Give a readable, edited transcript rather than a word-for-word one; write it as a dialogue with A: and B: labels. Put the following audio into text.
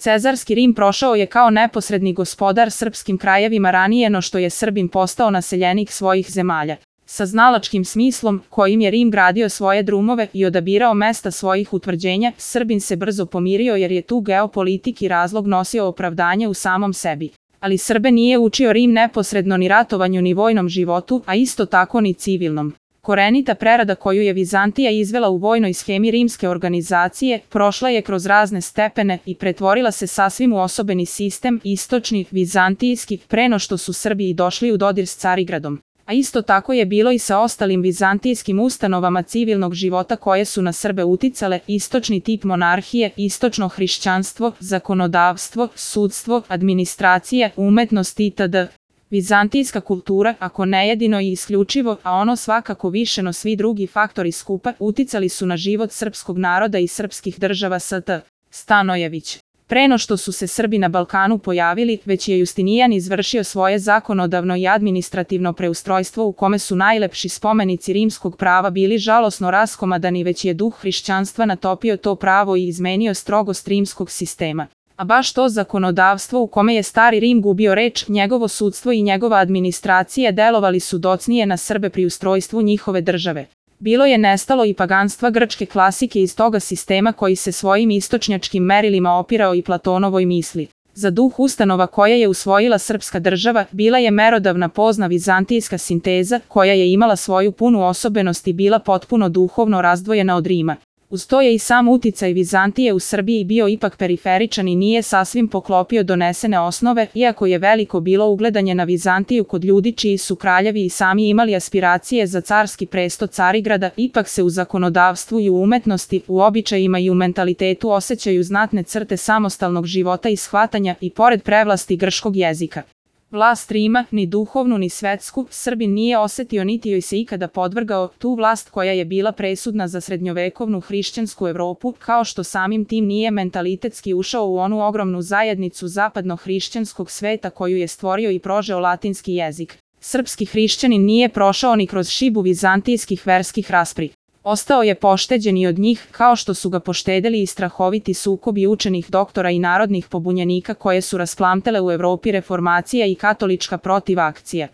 A: Cezarski Rim prošao je kao neposredni gospodar srpskim krajevima ranije no što je Srbin postao naseljenik svojih zemalja. Sa znalačkim smislom, kojim je Rim gradio svoje drumove i odabirao mesta svojih utvrđenja, Srbin se brzo pomirio jer je tu geopolitiki razlog nosio opravdanje u samom sebi. Ali Srbe nije učio Rim neposredno ni ratovanju ni vojnom životu, a isto tako ni civilnom. Korenita prerada koju je Vizantija izvela u vojnoj schemi rimske organizacije, prošla je kroz razne stepene i pretvorila se sasvim u osobeni sistem, istočni, vizantijski, pre no što su Srbi i došli u dodir s Carigradom. A isto tako je bilo i sa ostalim vizantijskim ustanovama civilnog života koje su na Srbe uticale: istočni tip monarhije, istočno hrišćanstvo, zakonodavstvo, sudstvo, administracija, umetnost itd. Vizantijska kultura, ako ne jedino i isključivo, a ono svakako više no svi drugi faktori skupa, uticali su na život srpskog naroda i srpskih država St. Stanojević. Pre no što su se Srbi na Balkanu pojavili, već je Justinijan izvršio svoje zakonodavno i administrativno preustrojstvo u kome su najlepši spomenici rimskog prava bili žalosno raskomadani, već je duh hrišćanstva natopio to pravo i izmenio strogost rimskog sistema. A baš to zakonodavstvo u kome je stari Rim gubio reč, njegovo sudstvo i njegova administracija delovali su docnije na Srbe pri ustrojstvu njihove države. Bilo je nestalo i paganstva grčke klasike iz toga sistema koji se svojim istočnjačkim merilima opirao i Platonovoj misli. Za duh ustanova koje je usvojila srpska država, bila je merodavna pozna vizantijska sinteza, koja je imala svoju punu osobenost i bila potpuno duhovno razdvojena od Rima. Uz to je i sam uticaj Vizantije u Srbiji bio ipak periferičan i nije sasvim poklopio donesene osnove, iako je veliko bilo ugledanje na Vizantiju kod ljudi čiji su kraljevi i sami imali aspiracije za carski presto Carigrada, ipak se u zakonodavstvu i u umetnosti, u običajima i u mentalitetu osjećaju znatne crte samostalnog života i shvatanja i pored prevlasti grčkog jezika. Vlast Rima, ni duhovnu ni svetsku, Srbin nije osetio niti joj se ikada podvrgao, tu vlast koja je bila presudna za srednjovekovnu hrišćansku Evropu, kao što samim tim nije mentalitetski ušao u onu ogromnu zajednicu zapadno-hrišćanskog sveta koju je stvorio i prožeo latinski jezik. Srpski hrišćanin nije prošao ni kroz šibu vizantijskih verskih raspri. Ostao je pošteđen i od njih, kao što su ga poštedeli i strahoviti sukobi učenih doktora i narodnih pobunjenika koje su rasplamtele u Evropi reformacija i katolička protivakcija.